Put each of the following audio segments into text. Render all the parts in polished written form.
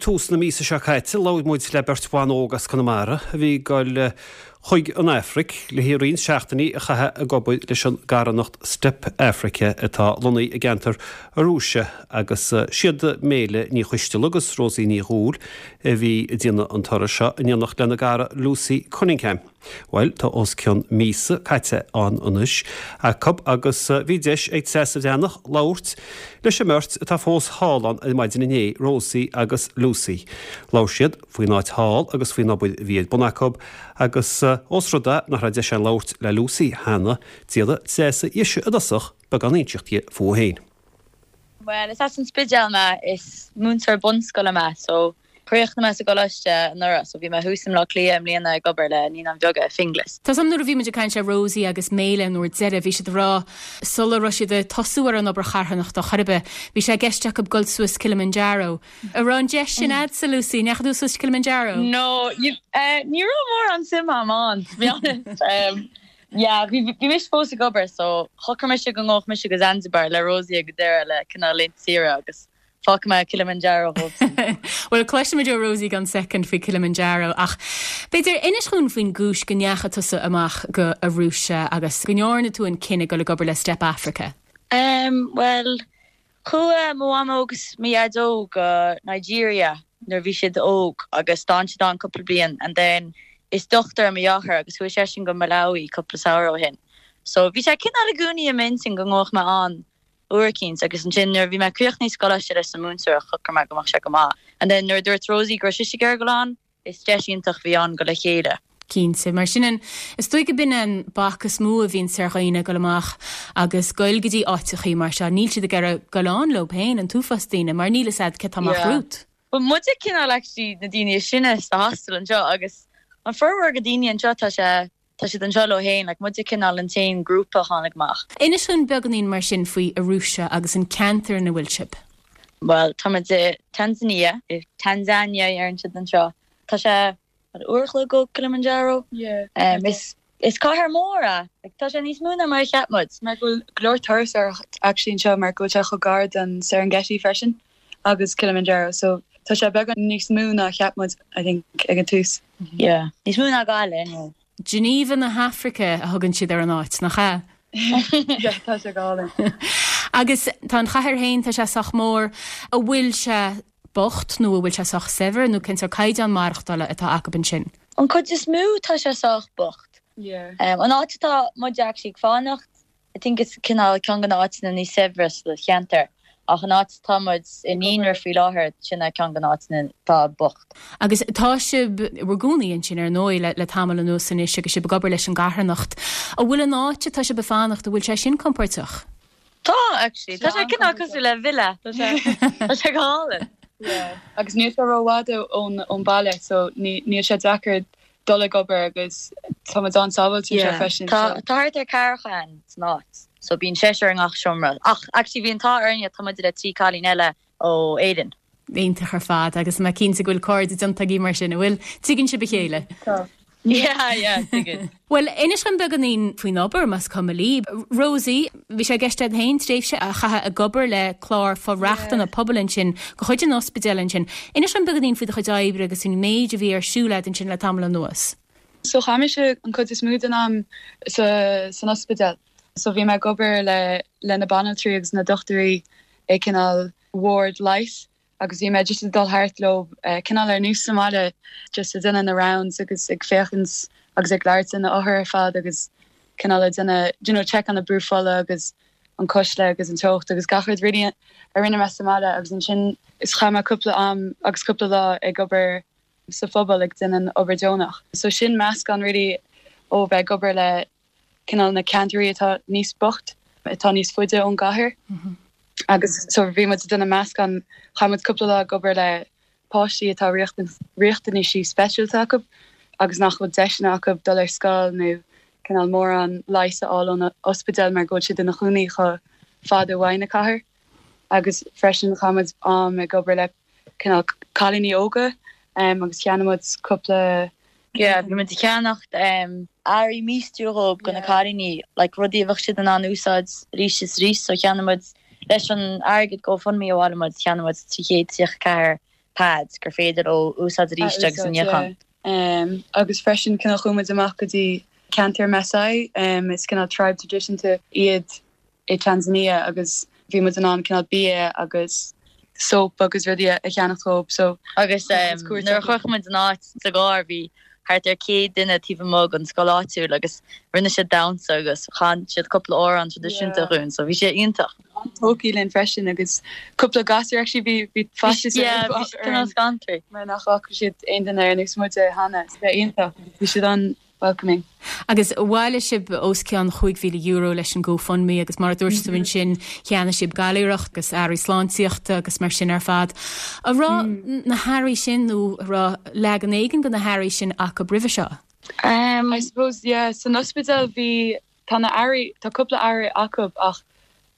tús na míosa seo caite, labhair muid le beirt bhan óg as Conamara a bhí ag dul chuig an Afraic le haghaidh roinnt seachtainí a chaitheamh ag obair leis an gcarthanacht Step Afrika atá lonnaithe i gceantar Arusha agus siad Méile Ní Choisteala agus Rosie Ní Dhúill a bhí ag déanamh an turais seo in éineacht lena gcara Lucy Cunningham. Bhuel, tá os cionn míosa caite ann anois acu agus bhí deis ag Treasa Bhreathnach labhairt leis an mbeirt atá fós thall ann ar maidin inné, Rosie agus Lucy. Labhair siad faoin áit thall agus faoin obair a bhí ar bun acu agus ós rud é nach raibh deis againn labhairt le Lucy cheana, d'iarr Treasa dhise i dtosach beagán a inseacht di fúithi féin. Bhuel, is as an Spidéal mé, is múinteoir bunscoile mé, so chríochnaigh mé sa gcoláiste anuraidh, so bhí mé thuas i mBleá Cliath i mbliana ag obair le Naíonáin Bheaga i Finglas. Tá 's a'm nuair a bhí muid ag caint le Rosie agus Méile an uair deiridh, bhí siad ag rá sula raibh siad ag tosú ar an obair charthanachta chor ar bith, bhí sé i gceist acu dul suas Kilimanjaro. An raibh an deis sin a'dsa, Lucy? An ndeachaigh tú suas Kilimanjaro? No, ní raibh mórán suim a'm ann, to be honest. Yeah, bhí bhí mise fós ag obair so shocraigh mise go ngabhfadh mise go Zanzibar le Rosie ag an deireadh le cineál laethanta saoire agus fágfaidh mé Kilimanjaro dhóibhsean. Bhuel, cloisfimid ó Rosie i gceann soicind faoi Kilimanjaro ach b'fhéidir inis dhúinn faoin gcúis go ndeachaigh tusa amach go Arusha agus go ndearna tú an cinneadh dul ag obair le Step Afrika. Em, bhuel, Chuaigh mo mhamó agus mo dhaideo go Nigeria nuair a bhí siad óg agus d'fhan siad ann cúpla bliain and then is dochtúir é mo dheartháir agus chuaigh seisean go Malawi cúpla samhradh ó shin. So bhí sé cineál i gcónaí i m'intinn go ngabhfadh mé ann uair eicínt agus ansin nuair a bhí mé críochnaithe sa gcoláiste leis an múinteoireacht shocraigh mé go mbeadh sé go maith and then nuair a dúirt Rosie go raibh sise ag iarraidh dul ann Is deis iontach a bhí ann dul le chéile. Cinnte. Mar sin an, is dóigh go b'in an bac is mó a bhíonns ar dhaoine ag dul amach agus goil go dtí áiteachaí mar seo. Níl siad ag iarraidh goil ann leo féin, an t-uafás daoine, mar níl fhios a'd cé tá amach Yeah. romhat. But muide cineál actually na daoine is sine sa hostel anseo agus an formhór de daoine anseo tá sé, tá siad anseo leo féin, like muide cineál an t-aon grúpa a tháinig amach. Inis dúinn beagáinín mar sin faoi Arusha agus an ceantar ina bhfuil sibh. Bhuel, tá muid i Tanzania, i Tanzania a deireann siad anseo. Tá sé, what, uair a chloig ó Kilimanjaro? Yeah. Um, is, is cathair mór é. Like, tá sé níos mó ná mar a cheap muid. Mar go bhfuil go leor turasóireacht actually anseo mar go bhfuil sé chomh gar don Serengeti freisin agus Kilimanjaro so tá sé beagán níos mó ná a cheap muid I think ag an tús. Yeah. Níos mó ná Gaillimh anyway. Geneva na hAfraice a thugann siad ar an áit, nach ea? Yeah, tá sé go hálainn. Agus tá an chathair féin, tá sé sách mór. An bhfuil sé bocht nó an bhfuil sé sách saibhir nó cén sórt caighdeán maireachtála atá acu ansin? An cuid is mó tá sé sách bocht. Yeah. An áit atá muid actually ag fanacht, I think is cineál ceann de na áiteanna níos saibhre sa cheantar ach an áit atá muid i ndaonra faoi láthair, sin é ceann de na áiteanna atá bocht. Agus tá sibh bhur gcónaí ansin ar ndóigh le le tamall anuas anois agus sibh ag obair leis an gcarthanacht. An bhfuil an áit atá sibh ag fanacht, an bhfuil sé sin compordach? Tá, actually. Tá sé cineál cosúil le villa. Tá sé tá sé go hálainn. Yeah. Agus níl sé rófhada ón ón baile so ní níl sé deacair dul ag obair agus tá muid an-sábháilte anseo Yeah. freisin Tá so. tá thart ar ceathracha againn san áit so bíonn seisear i ngach seomra. Ach actually bhí an t-ádh orainne tá muid le 3 cailín eile ó Éirinn. Iontach ar fad agus mé cinnte go bhfuil cairde déanta agaibh mar sin, an bhfuil? Tuigeann sibh a chéile? Tá. Yeah, yeah, tuigeann. Bhuel, inis dom beagáinín faoin obair, más cuma libh. Rosie, bhí sé i gceist agat féin tréimhse a chaitheamh ag obair le clár for-rochtana pobail ansin, de chuid an ospidéil ansin. Inis dom beagáinín faoi do chuid oibre agus faoin méid a bhí ar siúl agat ansin le tamall anuas. So chaith mise an cuid is mó den am sa san ospidéal. So bhí mé ag obair le le na banaltraí agus na dochtúirí i cineál ward leighis agus bhí mé just ag dul thart leo cineál ar nós sa mbaile just ag déanamh na rounds agus ag féachaint agus ag labhairt le na othair ar fad agus cineál ag déanamh you know check on na brú fola agus an cuisle agus an teocht agus gach rud really a rinne mé sa mbaile agus ansin is chaith mé cúpla am agus cúpla lá ag obair sa phobal ag déanamh an obair deonach. So sin meascán really ó bheith ag obair le cineál na ceantair atá níos bocht, atá níos faide ón gcathair agus so bhí muid ag déanamh meascán, chaith muid cúpla lá ag obair le páistí atá riachtanaisí speisialta acu agus nach bhfuil deiseanna acu dul ar scoil nó cineál mórán leighis a fháil ón ospidéal mar go bhfuil siad ina chónaí chomh fada uaidh na cathair agus freisin chaith muid am ag obair le cineál cailíní óga agus cheannaigh muid cúpla Yeah, bhí muid ag ceannacht earraí míostrú dhóibh do na cailíní, like rudaí a bheadh siad in ann úsáid arís is arís, so cheannaigh muid, leis an airgead GoFundMe a bhailigh muid, cheannaigh muid 334. Pads gur féidir leo úsáid arís agus a níochán. Agus freisin cineál chuaigh muid amach go dtí ceantar Maasai, is cineál tribe traidisiúnta iad i Tanzania agus bhí muid in ann cineál bia agus soap agus rudaí a cheannach dóibh so. Agus nuair a shroich muid an áit sa gcarr bhí thart ar 100 duine taobh amuigh den scoil áitiúil agus rinne siad damhsa agus chan siad cúpla amhrán traidisiúnta dhúinn so bhí sé iontach. An-tógtha linn freisin agus cúpla gasúr actually bhí bhí faitíos Yeah bhí siad cineál scanraithe. mar nach bhfaca siad aon duine ar nós muide cheana so bhí iontach bhí siad an welcoming. Agus bhailigh sibh os cionn €5,000 leis an GoFundMe agus mar a dúirt tú ansin cheannaigh sibh gailearacht agus earraí sláintíochta agus mar sin ar fad. An raibh na hearraí sin nó an raibh leagan éigin de na hearraí sin acu roimhe seo? I suppose yeah san ospidéal bhí tá na earraí tá cúpla earraí acu ach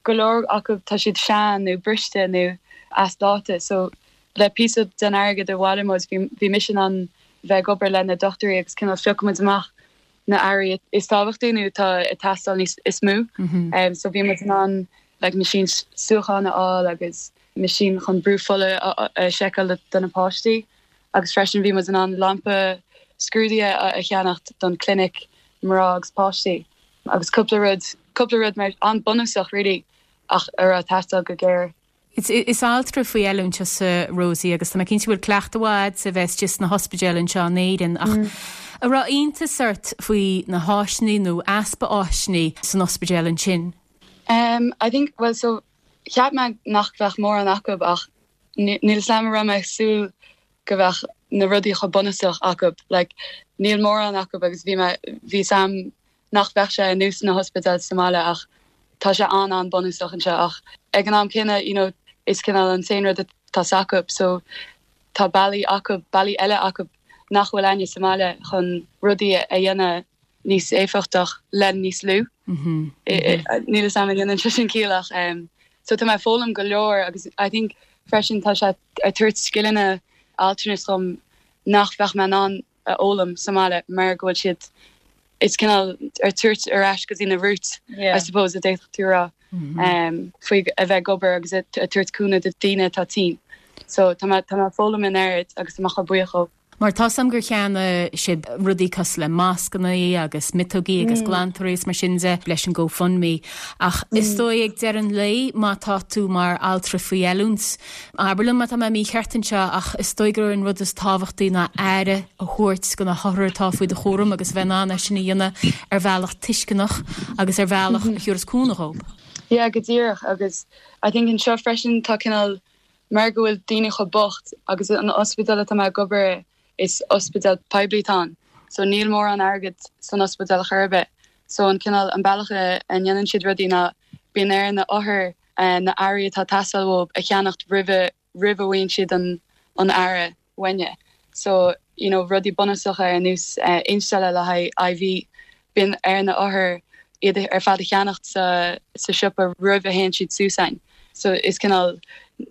go leor acu tá siad sean nó briste nó as dáta so le píosa den airgead a bhailigh muid bhí bhí mise in ann bheith ag obair le na dochtúirí agus cineál phiocadh muid amach na earraí is tábhachtaí nó atá ag teastáil níos is mó so bhí muid in ann like meaisín suíocháin a fháil agus meaisín chun brú fola a sheiceáil do na páistí agus freisin bhí muid in ann lampa scrúdaithe a cheannacht don clinic mná agus páistí agus cúpla rud cúpla rud mar an-bunúsach really ach a raibh ag teastáil go géar. Is altra faoi oiliúint tusa, Rosie, agus tá mé cinnte go bhfuil cleachtadh mhaith agat a bheith istigh sna hospidéil anseo in Éirinn ach an raibh iontas ort faoi na háiseanna nó easpa áiseanna san ospidéal ansin? Um, I think, well so cheap mé nach bheadh mórán acu ach níl 'fhios a'm an raibh mé ag súil go bheadh na rudaí chomh bunúsach acu. Like níl mórán acu agus bhí mé, bhí 'fhios a'm nach bheadh sé ar nós na hospidéil sa mbaile ach tá sé an-an-bunúsach anseo ach ag an am céanna you know is cineál an t-aon rud atá s'acu so tá bealaí acu, bealaí eile acu nach bhfuil a'inne sa mbaile chun rudaí a dhéanamh níos éifeachtach le níos lú. Níl 'fhios a'm an ndéanann sé sin ciall ach so tá mé ag foghlaim go leor agus I think freisin tá sé ag tabhairt scileanna altranais dom nach bheadh mé in ann a fhoghlaim sa mbaile mar go bhfuil siad is cineál ag tabhairt ar ais go dtí na roots I suppose a d'fhéadfadh tú a rá faoi a bheith ag obair agus ag tabhairt cúnamh do daoine atá tinn. So tá mé tá mé ag foghlaim an oiread agus tá mé chomh buíoch dhóibh. Mar tá 's a'm gur cheannaigh sibh rudaí cosúil le mascanna agus miotógaí agus glantóirí is mar sin de leis an GoFundMe. Ach is dóigh ag deireadh an lae má tá tú mar altra faoi oiliúint, abair liom má tá mé mícheart anseo, ach is dóigh gur an rud is tábhachtaí ná aire a thabhairt do na hothair atá faoi do chúram agus a bheith in ann é sin a dhéanamh ar bhealach tuisceanach agus ar bhealach a thabharfas cúnamh dhóibh. Yeah, go díreach agus I think anseo freisin tá cineál Mar go bhfuil daoine chomh bocht agus an ospidéal atá mé ag obair i, is ospidéal poiblí atá ann so níl mórán airgead san ospidéal chor ar bith. So an cineál, an bealach a ndéanann siad rudaí ná bíonn ar na othair na earraí atá ag teastáil uathu a cheannacht roimhe roimh a bhfaigheann siad an an aire. uainne. So, you know, rudaí bunúsacha ar nós instealladh le haghaidh IV, bíonn ar na othair iad ar fad a cheannacht sa sa siopa roimh a théann siad suas a'inn. So is cineál,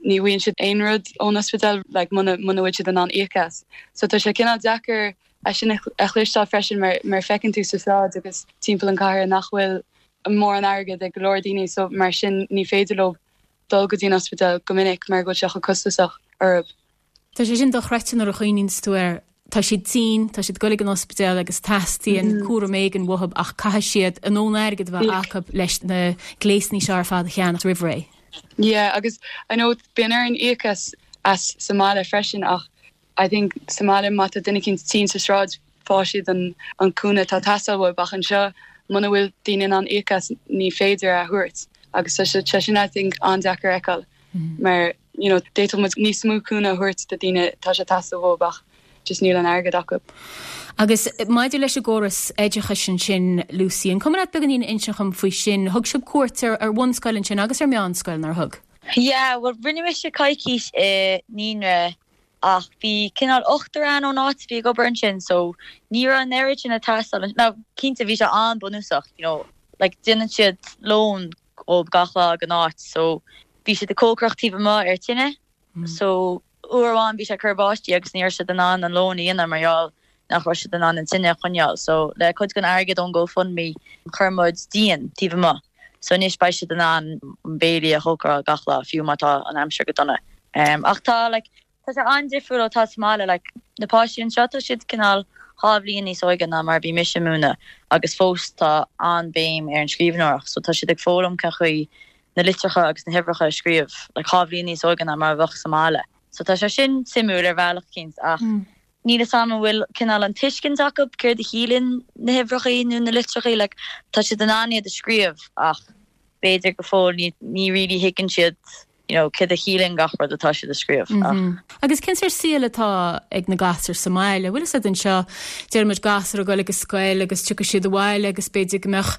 ní bhfaigheann siad aon rud ón ospidéal like muna muna bhfuil siad in ann íoc as. So tá sé cineál deacair é sin a chloisteáil freisin mar mar feiceann tú sa sráid agus timpeall an cathair nach bhfuil mórán airgead ag go leor daoine so mar sin ní féidir leo dul go dtí an ospidéal go minic mar go bhfuil sé chomh costasach orthu. Tá sé sin dochreidte nuair a chuimhníonns tú air. Tá siad tinn, tá siad ag dul ag an ospidéal agus teastaíonn cúram éigin uathu ach caithfidh siad a ndóthain airgid a bheith acu leis na gléasanna seo ar fad a cheannach roimh ré. Yeah agus I know bíonn orainn íoc as as sa mbaile freisin ach I think sa mbaile má tá duine eicínt tinn sa sráid faigheann siad an an cúnamh atá ag teastáil uathu ach anseo muna bhfuil daoine in ann íoc as ní féidir é a thabhairt agus tá sé sin I think an-deacair a fheiceáil mar you know d'fhéadfadh muid níos mó cúnamh a thabhairt do daoine tá sé ag teastáil uathu ach just níl an airgead acu. Agus maidir leis an gcóras oideachais ansin, Lucy, an cuma leat beagáinín a insint dhom faoi sin? Thug sibh cuairt ar ar bhunscoil ansin agus ar meánscoil, nár thug? Yeah, bhuel rinne mise coicís i naíonra ach bhí cineál ochtar ann ón áit a bhí ag obair ansin so ní raibh an oiread sin ag teastáil. Now cinnte bhí sé an-bunúsach, you know, like déanann siad lón dhóibh gach lá ag an áit so bhí siad ag cócaireacht taobh amuigh ar tine so uair amháin bhí sé ag cur báistí agus ní raibh siad in ann an lón a dhéanamh mar gheall nach raibh siad in ann an tine a choinneáil so le cuid den airgead ón GoFundMe chuir muid díon taobh amuigh so anois beidh siad in ann an béilí a chócaráil gach lá fiú má tá an aimsir go dona ach tá like. Tá sé an-difriúil ó tá sa mbaile, like na páistí anseo tá siad cineál dha bhliain níos óige ná mar a bhí mise ag múineadh agus fós tá an-bhéim ar an scríbhneoireacht so tá siad ag foghlaim cén chaoi na litreacha agus na huimhreacha a scríobh like dha bhliain níos óige ná mar a bheadh sa mbaile. So tá sé sin suimiúil ar bhealach eicínt ach níl 'fhios a'm an bhfuil cineál an tuiscint acu céard a chiallaíonn na huimhreacha nó na litreacha like tá siad in ann iad a scríobh ach b'fhéidir go fóill ní ní really thuigeann siad you know, céard a chiallaíonn gach rud atá siad a scríobh ach. Agus cén sórt saoil atá ag na gasúir sa mbaile? Bhfuil fhios a'd anseo, deir muid gasúir ag dul ag an scoil agus tiocfaidh siad abhaile agus b'fhéidir go mbeadh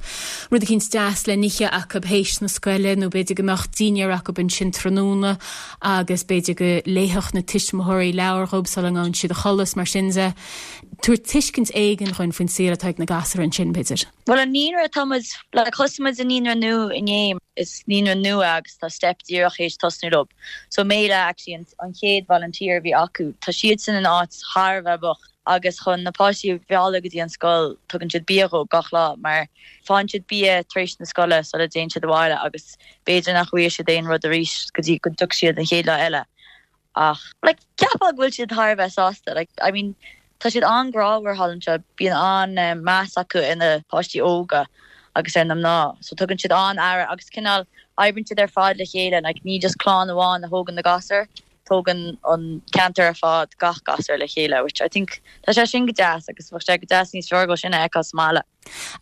rud eicínt deas le n-ithe acu théis na scoile nó b'fhéidir go mbeadh dinnéar acu ansin tráthnóna agus b'fhéidir go léifeadh na tuismitheoirí leabhar dhóibh sula ngabhann siad a chodladh is mar sin de. Tabhair tuiscint éigin dhuinn faoin saol atá ag na gasúir ansin, b'fhéidir. Bhuel an naíonra tá muid, like thosaigh muid an naíonra nua inné, is naíonra nua é agus tá Step díreach théis tosnú leo. So Méile actually an an chéad volunteer a bhí acu. Tá siadsan in áit thar a bheith bocht agus chun na páistí a mhealladh go dtí an scoil tugann siad bia dhóibh gach lá mar faigheann siad bia tar éis na scoile sula dtéann siad abhaile agus b'fhéidir nach bhfaighidh siad aon rud arís go dtí go dtiocfaidh siad an chéad lá eile. Ach, like, cheapfá go bhfuil siad thar a bheith sásta. Like, I mean, tá siad an-ghrámhar thall anseo, bíonn an-meas acu ar na páistí óga agus ar na mná. So tugann siad an-aire agus cineál oibríonn siad ar fad le chéile, like, ní just clann amháin a thógann na gasúir, tógann an ceantar ar fad gach gasúr le chéile, which I think tá sé sin go deas agus bheadh sé go deas níos fearr dhó sin a fheiceáil sa mbaile.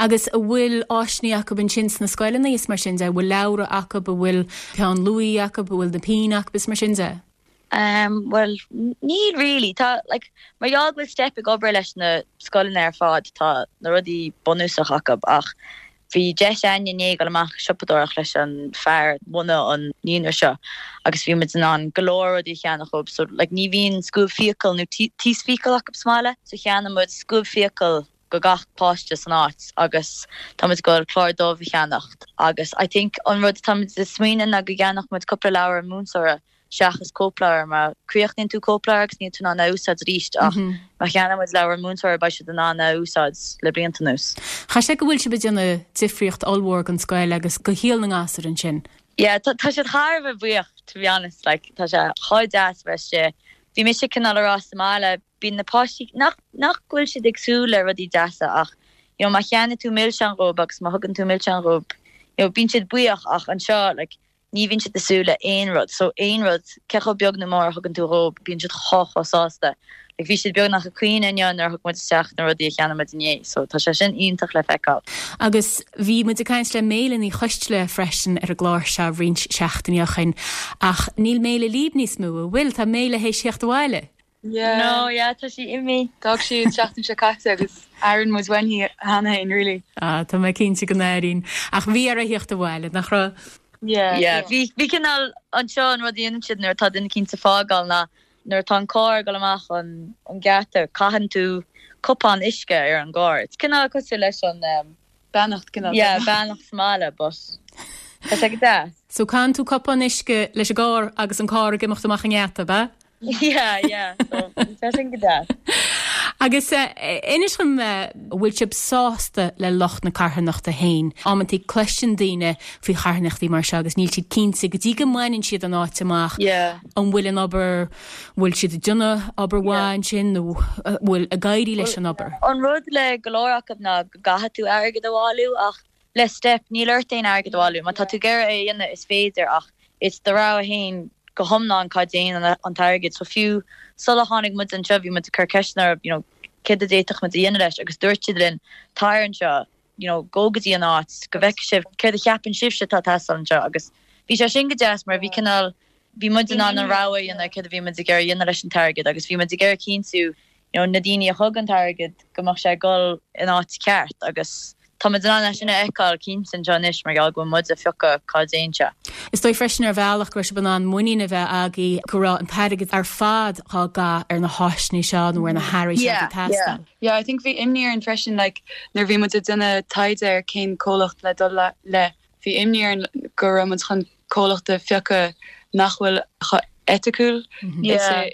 Agus a bhfuil áiseanna acu ansin sna scoileanna is mar sin de? An bhfuil leabhra acu, an bhfuil peann luaidhe acu, an bhfuil na pinn acu is mar sin de? Ehm, bhuel, níl really. Tá, like, mar gheall go bhfuil Step ag obair leis na scoileanna ar fad, tá na rudaí bunúsach acu ach bhí deis againn inné dul amach ag siopadóireacht leis an fear a bhunaigh an naíonra seo agus bhí muid in ann go leor rudaí a cheannach dhóibh. So, like, ní bhíonn scuab fiacal nó taos fiacal acu sa mbaile, so cheannaigh muid scuab fiacal go gach páiste san áit agus tá muid ag dul clár dubh a cheannacht agus I think an rud atá muid ag smaoineamh ná go gceannódh muid cúpla leabhar an múinteora seachas cóipleabhar mar críochnaíonn tú cóipleabhar agus níl tú in ann é a úsáid arís ach má cheannaíonn muid leabhar an múinteora beidh siad in ann é a úsáid le blianta anuas. Chaithfeadh sé go bhfuil sibh ag déanamh difríocht ollmhór don scoil agus do shaol na ngasúr ansin. Yeah tá tá siad thar a bheith buíoch to be honest like tá sé chomh deas a bheith istigh. Bhí mise cineál a rá sa mbaile bíonn na páistí, nach, nach go bhfuil siad ag súil le rudaí deasa ach you know má cheannaigh tú milseán dhóibh agus má thugann tú milseán dhóibh you know bíonn siad buíoch ach anseo like ní bhíonn siad ag súil le aon rud so aon rud cé chomh beag nó mór a thugann tú dhóibh bíonn siad chomh chomh sásta. Like bhí siad beagnach ag caoineadh inniu nuair a thug muid isteach na rudaí a cheannaigh muid inné so tá sé sin iontach le feiceáil. Agus bhí muid ag caint le Méile Ní Choisteala freisin ar an gclár seo roinnt seachtainí ó shin ach níl Méile líb níos mó, an bhfuil? Tá Méile théis theacht abhaile. Yeah. No, yeah, tá sí imithe. D'fhág sí an tseachtain seo caite agus airíonn muid uainn í cheana féin, really. Ah, tá mé cinnte go n-airíonn. Ach bhí uirthi theacht abhaile, nach raibh? Yeah, Yeah, bhí, bhí cineál, anseo an rud a dhéanann siad nuair atá duine eicínt ag fágáil ná nuair atá an carr ag dul amach an, an geata, caitheann tú cupán uisce ar an gcarr. It's cineál cosúil leis an, um, Beannacht, cineál Yeah, beannacht sa mbaile, but tá sé go deas. So caitheann tú cupán uisce leis an gcarr agus an carr ag imeacht amach an ngeata, ab ea? Yeah, yeah, so bhí sé sin go deas. Agus inis dom, an bhfuil sibh sásta le lucht na carthanachta féin? Amantaí cloiseann daoine faoi charthanachtaí mar seo agus níl siad cinnte go dtí go mbaineann siad an áit amach Yeah. an bhfuil an obair, an bhfuil siad ag déanamh obair mhaith ansin nó an bhfuil ag éirí leis an obair? An rud le go leor acu ná go gcaithfidh tú airgead a bhailiú ach Le Step, níl ort aon airgead a bhailiú. Má tá tú ag iarraidh é a dhéanamh, is féidir, ach is do rogha féin go hiomlán cá dtéann an t-airgead. So fiú sula tháinig muid anseo, bhí muid ag cur ceisteanna orthu, you know, céard a d'fhéadfadh muid a dhéanamh leis agus dúirt siad linn, tar anseo, you know, gabh go dtí an áit, go bhfeicfidh sibh céard a cheapann sibhse atá ag teastáil anseo agus bhí sé sin go deas mar bhí cineál, bhí muid in ann an rogha a dhéanamh céard a bhí muid ag iarraidh a dhéanamh leis an t-airgead agus bhí muid ag iarraidh cinntiú you know, na daoine a thug an t-airgead go mbeadh sé ag dul in áit ceart agus tá muid in ann é sin a fheiceáil cinnte anseo anois mar gheall go bhfuil muid ag piocadh cá dtéann sé. Is dóigh freisin ar bhealach go raibh sibh in ann muinín a bheith agaibh go raibh an t-airgead ar fad á gcaitheamh ar na háiseanna seo nó ar na hearraí seo a bhí ag teastáil. Yeah, I think bhí imní orainn freisin like nuair a bhí muid ag déanamh taighde ar cén comhlacht le dul le Bhí imní orainn go raibh muid chun comhlacht a phiocadh nach bhfuil chomh eiticiúil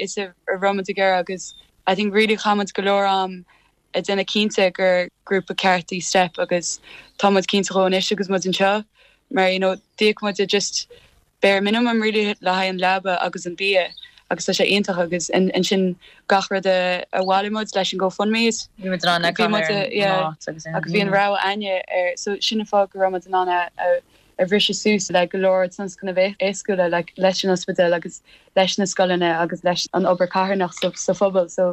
is a raibh muid ag iarraidh agus I think really chaith muid go leor am ag déanamh cinnte gur grúpa ceart í Step agus tá muid cinnte dhó anois agus muid anseo mar you know d'íoc muid just bare minimum really le haghaidh an leaba agus an bia. agus tá sé iontach agus ansin gach rud a bhailigh muid leis an GoFundMe is Bhí muid in ann é a bhí muid chaitheamh ar an yeah áit agus ar na agus bhí an daoine. rogha againne ar so sin an fáth go raibh muid in ann a a a bhriseadh suas le go leor tionscnaimh éagsúla like leis an ospidéal agus leis na scoileanna agus leis an obair carthanach sa sa phobal so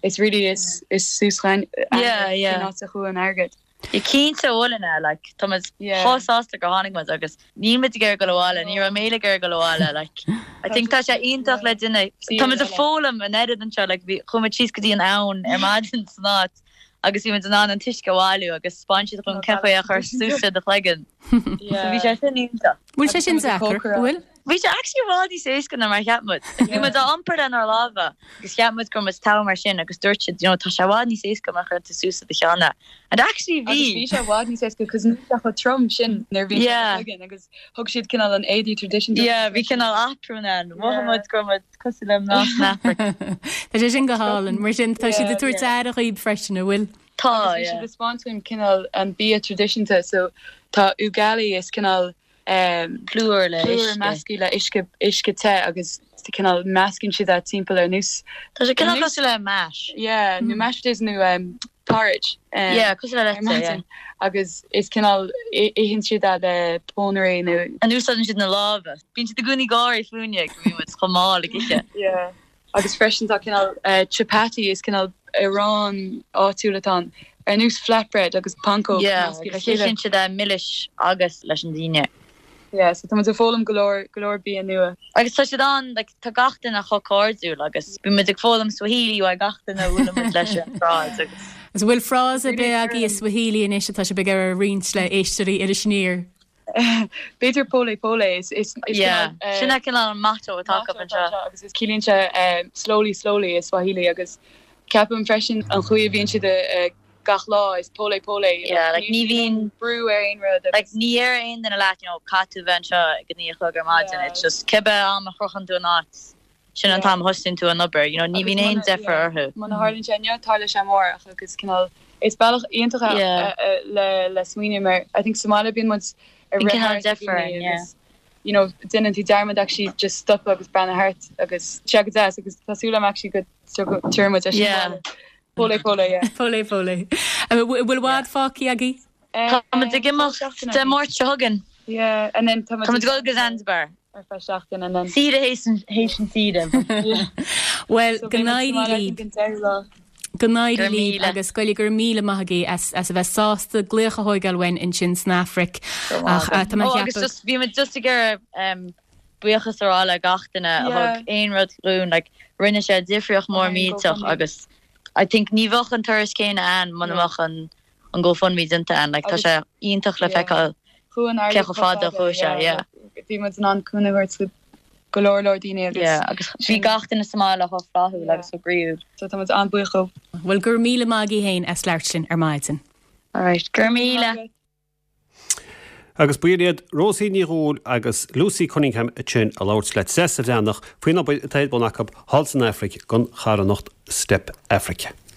it's really is is suas againne Yeah, yeah. cén áit a chuaigh an airgead. Yeah cinnte bhuel ina like tá muid Yeah. chomh sásta gur tháinig muid agus níl muid ag iarraidh dul abhaile, ní raibh mé ag iarraidh dul abhaile like I think tá sé iontach le duine tá muid ag foghlaim an oiread anseo like bhí chuaigh muid síos go dtí an abhainn ar maidin san áit agus bhí muid in ann an t-uisce a bhailiú agus 'spáin siad dhúinn cén chaoi é a chur suas i do chloigeann. So bhí sé sin iontach. Bhfuil sé sin deacair, an bhfuil? Bhí sé actually i bhfad níos éasca ná mar a cheap muid. Like bhí muid á iompar lenár lámha agus cheap muid go raibh muid togha mar sin agus dúirt siad you know tá sé i bhfad níos éasca má chuireann tú suas i do cheann é. And actually bhí. Agus bhí sé i bhfad níos éasca cos níl sé chomh trom sin nuair a bhí sé i do Yeah. chloigeann agus thug siad cineál an éadaí traidisiúnta Yeah bhí cineál aprún ann. Mhothaigh muid go raibh muid cosúil le mná san Afraic. Tá sé sin go hálainn. Mar sin tá siad Yeah. ag tabhairt aire dhaoib freisin, an bhfuil? Tá, Agus bhí yeah. siad ag 'spáint dúinn cineál an bia traidisiúnta so tá ugali is cineál Plúr le plúr uisce. measctha le uisce, uisce te agus cineál meascann siad é timpeall ar nós. Tá sé cineál cosúil le mash. Yeah, nó mashed potatoes nó porridge. Yeah, cosúil le ar leite, yeah. maidin agus is cineál itheann siad é le pónairí nó. And úsáideann siad na lámha. Bíonn siad i gcónaí ag gáirí fúinne go mbíonn muid chomh mall ag ithe. Yeah. Agus freisin tá cineál chapati, is cineál arán áitiúil atá ann, ar nós flatbread agus pancóg Yeah, measctha le agus chéile. itheann siad é milis agus leis an daoine. Yeah, so tá muid ag foghlaim go leor, go leor bia nua. Agus tá siad an, like, tá gach duine chomh cairdiúil agus bíonn muid ag foghlaim Swahili uaidh gach duine a bhuaileann muid leis ar an tsráid agus. Agus an bhfuil frása ar bith agaibh i Swahili anois atá sibh ag iarraidh a roinnt le éisteoirí Iris Aniar? B'fhéidir pole pole is is Yeah, sin é cineál an motto atá acu anseo. Agus is ciallaíonn sé slowly slowly i Swahili agus ceapaim freisin an chaoi a bhíonn siad gach lá is pole pole you know Yeah, like ní bhíonn brú ar aon rud like ní deir aon duine leat you know caithfidh tú bheith anseo ag a 9 a chlog ar maidin it's just cibé am a shroicheann tú an áit sin an t-am a thosaíonn tú an obair, you know, ní bhíonn aon deifir orthu. Muna tharlaíonn sé inniu, tarlóidh sé amárach agus cineál, is bealach iontach é le le smaoineamh mar I think sa mbaile bíonn muid ag rith thart ag daoine agus you know déanann tú dearmad actually just stopadh agus breathnú thart agus sé go deas agus tá súil agam actually go dtabharfaidh muid é sin abhaile. Pole pole, yeah. Pole pole. Bhfuil i bhfad fágtha agaibh? Tá muid ag imeacht Dé Máirt seo chugainn. Yeah, and then tá muid ag dul go Zanzibar. Ar feadh seachtain and then. Saoire théis an saoire. Bhuel, go n-éirí libh. Go n-éirí libh agus go raibh míle maith agaibh as as a bheith sásta glaoch a thóigeáil uainn ansin san Afraic. Ach tá mé ag Oh, agus ceapadh. just, bhí muid just ag iarraidh buíochas a rá le gach duine a thug aon rud dhúinn, like rinne sé difríocht mór millteach agus I think ní bheadh an turas céanna ann muna mbeadh an an GoFundMe déanta ann. Like tá sé iontach le feiceáil cé chomh fada a chuaigh sé, yeah. Bhí muid in ann cúnamh a thabhairt do go leor leor daoine agus. Yeah, agus bhí gach duine sa mbaile chomh flaithiúil agus chomh croíúil. So tá muid an-bhuíoch dóibh. Bhuel, go raibh míle maith agaibh féin as labhairt linn ar maidin. Alright, go raibh míle. Agus b'in iad Róisín Ní Dhubhghaill agus Lucy Cunningham ansin ag labhairt le Treasa Bhreathnach faoin obair atá ar bun acu thall san Afraic don charthanacht Step Africa.